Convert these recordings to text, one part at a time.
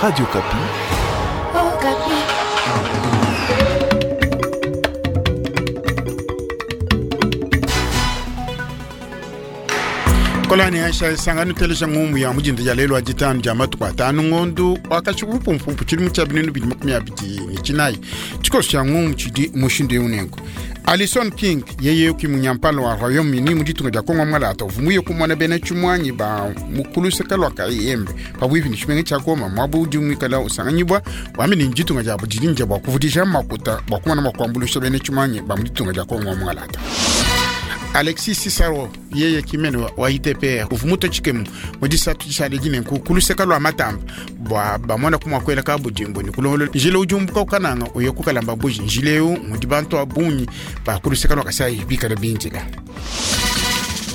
Radio Okapi. Okapi. Kolani aisha sangano teleja ngumu ya mujinda ja lelo ajitano ja matuku atanu ngondu wakachikupumpumpu chilimu cha binunu bidi 29 chikosi cha ngumu chidi mushindu unengo Alison King yeye kimunyampalo wa Royaume-Uni mu ditunga dia Kongo mwalata uvumuye kumona bena chimwanyi ba mukuluseka lwa kayembe pabwipi ni chimenge cha Goma mwabu udi mwikala usanganyibwa wamene nditunga dia budidinja bwa kuvudisha makuta bwa kumona makwambulusha bena chimwanyi ba mu ditunga dia Kongo mwalata. Alexis Cicero yeye kimene wa ITPR uvumuta chikemu mudisatu chisale jinenku kuluseka lwa matamba bwa bamona kumwakwela ka budimbo ni kulongolo njile ujumbuka ukananga uye kukalamba buji njileu mudi bantu abunyi ba kuluseka lwa kasai bikala binjila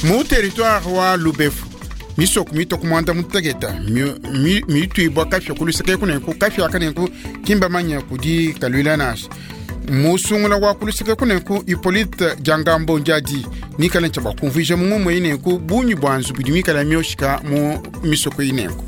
mu territoire wa Lubefu misoko mito kumwanda mutegeta mitwibwa kafya kuluseka kunenku kafya kanenku kimba manya kudi kalwila nasha musungula wa kuluseka kunenku Hippolyte Jangambo Njadi nikala ncha bakumvija mumwe inenku bunyi bwanzu budi mikala myoshika mu misoko inenku.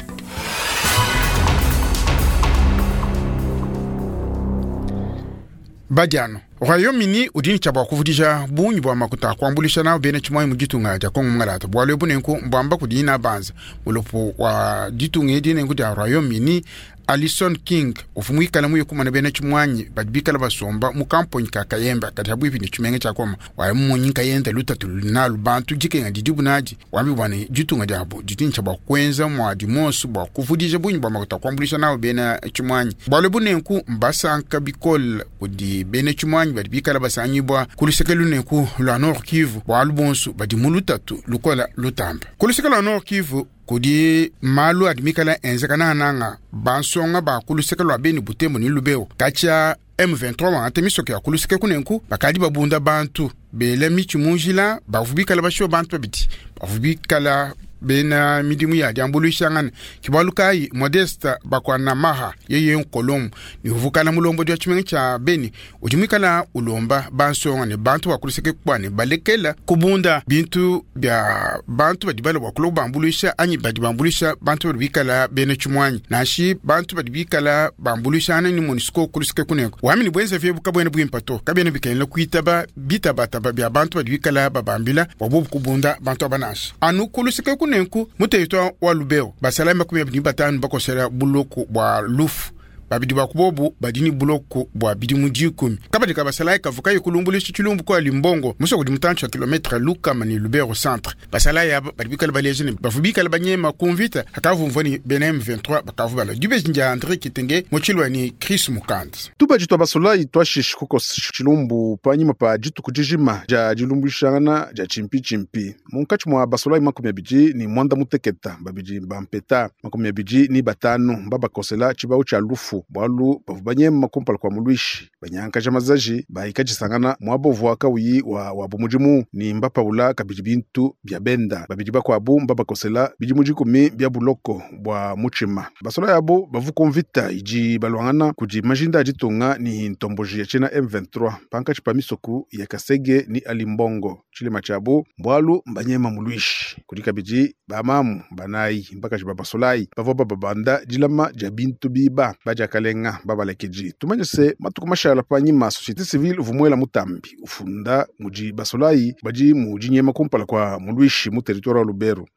Badiano Royaume-Uni udi ncha bakuvudija bunyi bwa makuta kwambulisha nao bene chimwa mu ditunga ja Kongo ngalata bwalo bunenku mbwamba kudina banza mulopo wa ditunga edi nenku ja Royaume-Uni Alison King ufumwikala muye kumana bene chimwanyi badibikala basomba mu kamponi ka Kayemba kati habwipi ni chimenge cha Goma wa munyi kayenda lutatu nalu bantu jikenga didibu naji wambi bwane ditunga jabo ditincha bwa kwenza mwadi mosu bwa kuvudija bunyi bwa makuta kwambulisha nao bene chimwanyi bwalo bunenku mbasanka bikol kudi bene chimwanyi badibikala basanyibwa kuluseke lunenku lwa Nord Kivu bwalu bonso badi mu lutatu lukola lutamba kuluseke lwa Nord Kivu kudi malu adimikala enzeka nananga bansonga ba kuluseke lwa beni butembo ni lubeo kacha M23 wangate misoke ya kuluseke kunenku bakadi babunda bantu bele michi munjila bavubikala basho bantu babidi bavubikala bena midimu ya diambuluishangana kibalukai Modeste bakwana maha yeye nkolomu ni uvukala mulombo dia chimenge cha beni ujimikala ulomba bansonga ne bantu bakuluseke kwane balekela kubunda bintu bya bantu badibala bakulo bambuluisha anyi badibambulisha bantu badibikala bene chimwanyi nashi bantu badibikala bambulisha ni MONUSCO kuluseke kuneko wamini bwenze fye bukabwene bwimpato kabene bikenela kuitaba bitabataba bya bantu badibikala babambila wabubu kubunda bantu abanasha anu kuluseke kunenku muteitwa wa Lubeo basala 25 bakosela buloko bwa lufu babidi bakubobu badini buloko bwa bidimu 10 kabadi kabasala kavuka yikulumbulisha chilumbu kwa limbongo muso kudi mutancho ya kilometre luka mani Lubero centre basala ya badibikala balejene bafubikala banyema kumvita hakavumvani bena M23 bakavubala dibejinja André Kitenge mochilwa ni Chris Mukand tubaji twa basolai twashishi kuko chilumbu panyima pa dituku dijima ja dilumbwishangana ja chimpi chimpi munkatshi mwa basolai 29 babidi bampeta 25 mbabakosela chibau cha lufu bwalu bavu banyema kumpala kwa mulwishi banyankaja mazaji bahikajisangana mwabovu akauyi wa wabo mudimu ni mbapaula kabidi bintu bya benda babidi bakwabu mbabakosela bidimu 10 bya buloko bwa muchima basola yabo bavuka mvita idi balwangana kudi majinda aditunga ni ntomboji ya chena M23 pankachi pa misoku ya Kasege ni Alimbongo chilema chabo bwalu mbanyema mulwishi kudi kabidi bamamu banayi mbakaji babasolai bavua bababanda dilama ja bintu biba baja kalenga babalekeji tumanye se matuku mashala panyima société civile uvumwela mutambi ufunda muji basolai baji mujinyema kumpala kwa mulwishi mu territoire wa Lubero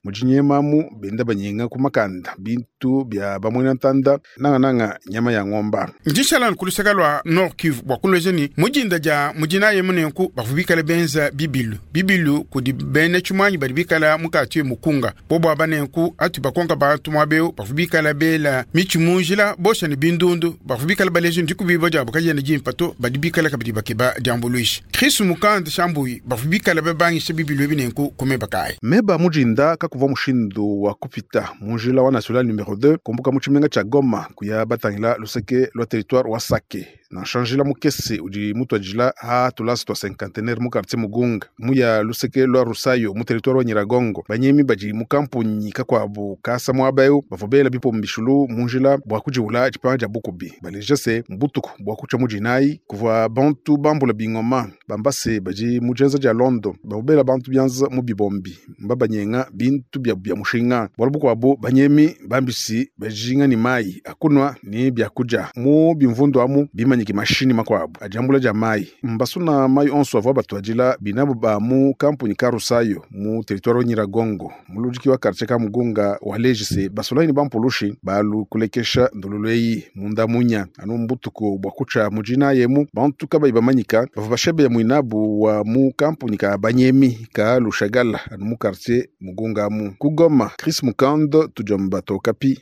mujinyemamu benda banyenga kumakanda bintu bya bamwena ntanda nanga nanga nyama ya ng'omba njishala nkuluseka lwa Nord Kivu bwa kulwejeni mujinda ja mujina yemunenku bavubikala benza bibilu bibilu kudi bene chumwanyi badibikala mukati mukunga bobo abanenku atu bakonka bantu mwabeo bavubikala bela michi munjila bosha ni bindundu bavubikala baleje ndikubiba jabo kajene jimpato badibikala kabidi bakeba diambuluishi Chris Mukand Shambuyi bavubikala bebangisha bibilu ebinenku kumeba kai meba mujinda kakuva mushindu wa kupita munjila wa national numero 2 kumbuka muchimenga cha Goma kuya batangila luseke lwa territoire wa Sake Nansha njila mukese udi mutuadijila ha tulasa tua cinquantenaire mu quartier Mugunga mu ya luseke lua Rusayo mu territoire wa Nyiragongo. Banyemi badi mu kampunyi kakuabu kasa muaba eu bavua bela bipombishulu mu njila bua kujiwula dipanga dia bukubi. Baleja se mbutuku bua kutsha mu dinayi kuvua bantu bambula bingoma bamba se badi mu dienza dia Londo bavua bela bantu bianza mu bibombi mbabanyenga bintu bia bia mushinga. Bualu bukuabu banyemi bambisi bajinga ni mayi akunwa ni byakudia mu bimvundu amu bimanyiki mashini makuabu adiambula dia mayi mbasuna mayi onso avua batuadila binabu ba mu kampuni ka Rusayo mu territoire wa Nyiragongo muludiki wa quartier ka Mugunga wa lejise basulayi ni bampulushi balu kulekesha ndululu eyi munda munya anu mbutuku bua kutsha mujina yemu bantu kabayi bamanyika bavua bashebeya muinabu wa mu kampuni ka banyemi ka Lushagala anu mu quartier Mugunga amu ku Goma. Chris Mukando tudiomba Okapi.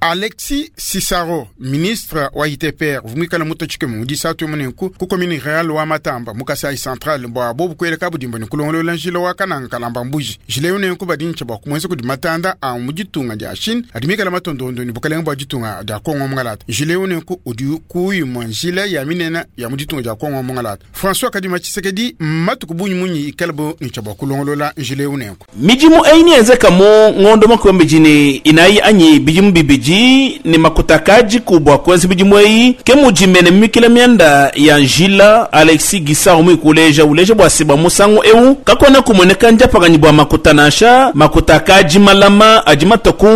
Alexis Cicero, ministre wa ITPR, vumwikala mutochike mu disatu munenku ku commune rurale wa Matamba mu Kasai Central bwa bobu kweleka budimbo ni kulongolola njila wa kananga kalamba mbuji. Njila yo nenku badincha bwa kumwenza kudi matanda a mu ditunga dia Chine adimikala matondondo ni bukalenga bwa ditunga dia Kongo mungalata. Njila yo nenku udi kuyimwa njila ya minena ya mu ditunga dia Kongo mungalata. François Kadima Tshisekedi matuku bunyi munyi ikalabo ni cha bwa kulongolola njila yo nenku. Mijimu eyi yenzeka mu ngondo makombe jini inayi anyi bijimu bibiji ni makutakaji kubwa kwenzi bijimu eyi ke mujimene mimikila myanda ya njila Alexis Gisaro mwikuleja uleja bwa siba musangu eu kakona kumoneka njapakanyi bwa makuta nasha makutakaji malama aji mataku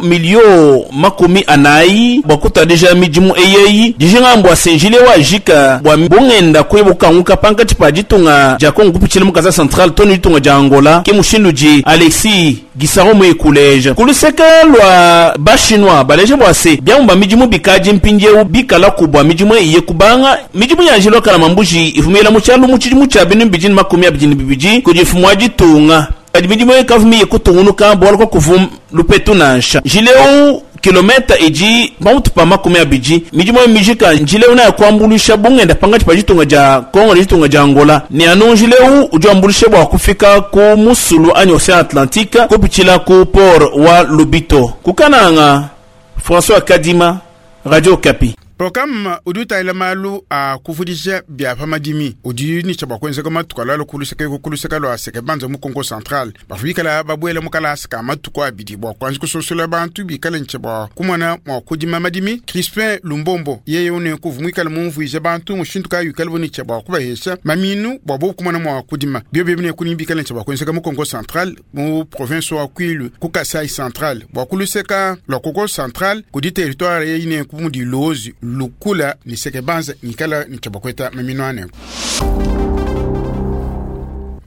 milio 40 bwa kutadija mijimu eyeyi dijingambwa senjile wa jika bwa bungenda kwebukanguka pankati pa ditunga dia Kongo kupichila mu Kasai Central toni ditunga dia Angola ke mushindu ji Alexis Gisaro mwikuleja kuluseka lwa bashinwa baleje bwase byamba mijimu bikaji mpinjewu bikala kubwa mijimu iye kubanga mijimu ya njilo kala mambuji ifumila muchalu muchijimu cha binu bijini 22 kujifumwa jitunga kadi mijimu ekavumiye kutungunuka bwala kwa kuvum lupetu nansha jileu kilometa iji pamutu pa 20 mijimu mijika njileu na kuambulisha bungenda pangati pa jitunga ja Kongo jitunga ja Angola ni anu njileu ujambulisha bwa kufika ku musulu anyi Ocean Atlantique kupichila ku port wa Lubito kukananga. François Kadima, Radio Okapi. Programme udi utayila malu a kuvudisha bia pa madimi udi ni cha bwa matuku alalo kuluseka kuluseka lwa seke banza mu Kongo Central bafikala babwela mukalasa ka matuku abidi bwa kwanza kusosola bantu bikala nche bwa kumona mwa kudima madimi. Crispin Lumbombo yeye une kuvumwikala mumvuije bantu mushintu ka yukala boni cha bwa kubahesha maminu bwa bo kumona mwa kudima bio bibine kuni bikala nche bwa kwenza mu Kongo Central mu province wa Kwilu ku Kasai Central bwa kuluseka lwa Kongo Central kudi territoire yeye kumudi Lozi Lukula ni sekebanza nikala ni chabakweta maminwane.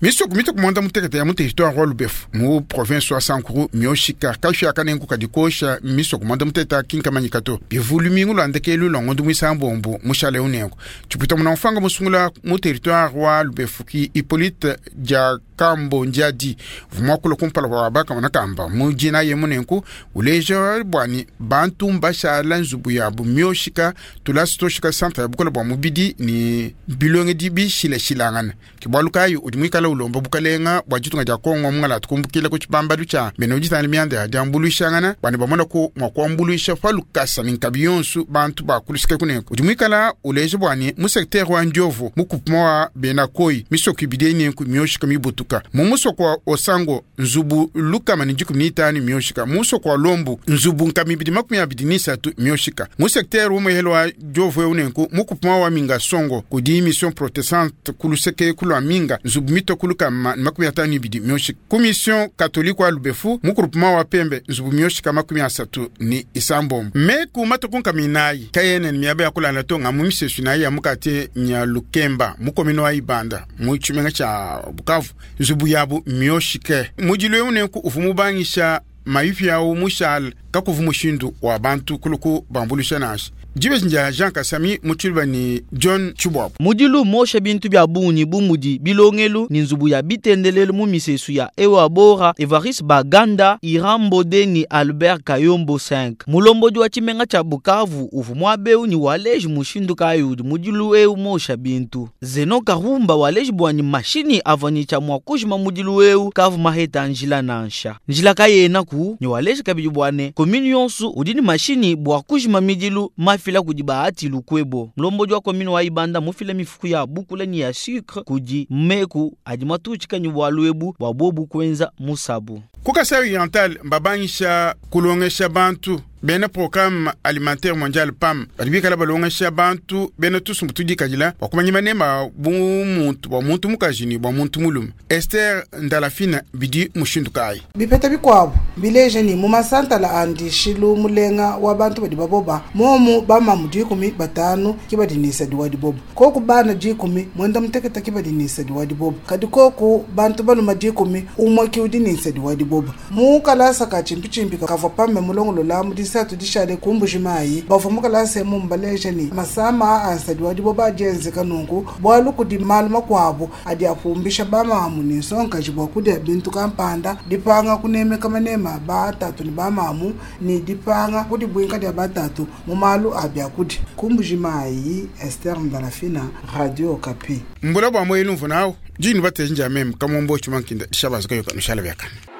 Miso kumita kumwanda mutekete ya muteritoire wa Lubefu mu province wa Sankuru mioshika kashu akanenku kadikosha miso kumwanda muteta kinkamanyikato bivulu mingu lwandekelu lwangondo mwisambombo mushale unenku chipwita muna mfanga musungula mu territoire wa Lubefu ki Hippolyte dia Kambo Ndiadi vumwakula kumpala kwa baka manakamba mujina ye munenku uleja bwani bantu mbashala nzubu yabu mioshika tulasi toshika centre ya bukola bwa mubidi ni bilonge dibi shilashilangana kibwalukayi udi mwikala ulomba bukalenga bwa ditunga dia Kongo mungala tukumbukila ku tshibambalu tshia mene uditana mianda ya diambuluishangana bwani bamona ku mwa kuambuluisha pa lukasa ni nkabi yonsu bantu bakulusika kunenku udi mwikala uleja bwani mu secteur wa Ndiovu mu kupuma wa Benakoi misoko ibidi nenku mioshika mibutuka mu musoko wa Osango nzubu lukama ni 15 mioshika mu musoko wa Lombu nzubu nkami ibidi 23 mioshika mu secteur umwehelo wa Ndiovu unenku mu kupuma wa Minga Songo kudi mission protestante kuluseke kulwa Minga nzubu mito kulukama 52 mioshika ku mission catholique wa Lubefu mu groupement wa Pembe nzubu mioshika 36 me ku matuku nkaminayi kayene ni miaba ya kulala to nga mu misesu nayi ya mukate nya Lukemba mu komino wa Ibanda mu tshimenga tsha Bukavu nzubu yabu mioshike mujilo unenku uvumu bangisha mayifi yawu mushal kakuvu mushindu wa bantu kuluku bambulisha nashi. Dibeji ndia Jean Kasami mu tshiluba ne John Tshibuabua. Mudilu mosha bintu bia bungi bu mudi bilongelu ne nzubu ya bitendelelu mu misesu ya Ewa Bora, Evariste Baganda, Iran Mbode ne Albert Kayombo 5. Mulombodi wa tshimenga tshia Bukavu uvua muaba eu ne waleji mushindu kayi udi mudilu eu mosha bintu. Zeno Karumba waleji bua ne mashinyi avua ne tshia mua kujima mudilu eu kavua maheta njila nansha. Njila kayenaku ne waleji kabidi bua ne commune yonso udi ne mashinyi bua kujima midilu mafila kudi Bahati Lukwebo. Mulombodi wa commune wa Ibanda mufila mifuku ya bukula ne ya sucre kudi meku adi matutshika ne bualu ebu bua bobu kuenza musabu. Ku Kasai Oriental mbabangisha kulongesha bantu bena Programme Alimentaire Mondial PAM badi bikala balongesha bantu bena tusumbu tudikadila bua kumanya manema bu muntu bua muntu mukaji ne bua muntu mulume. Esther Ndalafina bidi mushindu kayi? Bipeta bikuabu mbileje ne, mu masantala a ndishilu mulenga wa bantu badi baboba, momu bamamu 15 ke badi ne nsadi wa diboba, koku bana 10 muanda mutekete ke badi ne nsadi wa diboba, kadi koku bantu balume 10 umue ke udi ne nsadi wa diboba. Mu kalasa ka tshimpitshimpi kavua Pame mulongolola mu disatu dishale ku Mbuji-Mayi, bavua mu kalasa emu mbaleje ne, masama a nsadi wa diboba adi enzeka nunku bualu kudi malu makuabu adi apumbisha bamamu ne nsongakaji bua kudia bintu kampanda, dipanga kunemeka manema a batatu ne bamamu, ne dipanga kudibuinka dia batatu mu malu a biakudia. Ku Mbuji-Mayi, Esther Ndalafina, Radio Okapi. Mbula bua muoyo lumvu nawu, ndi nubateja njia meme Kamombo Tshimankinda, dishabazuka yoka nushala biakane.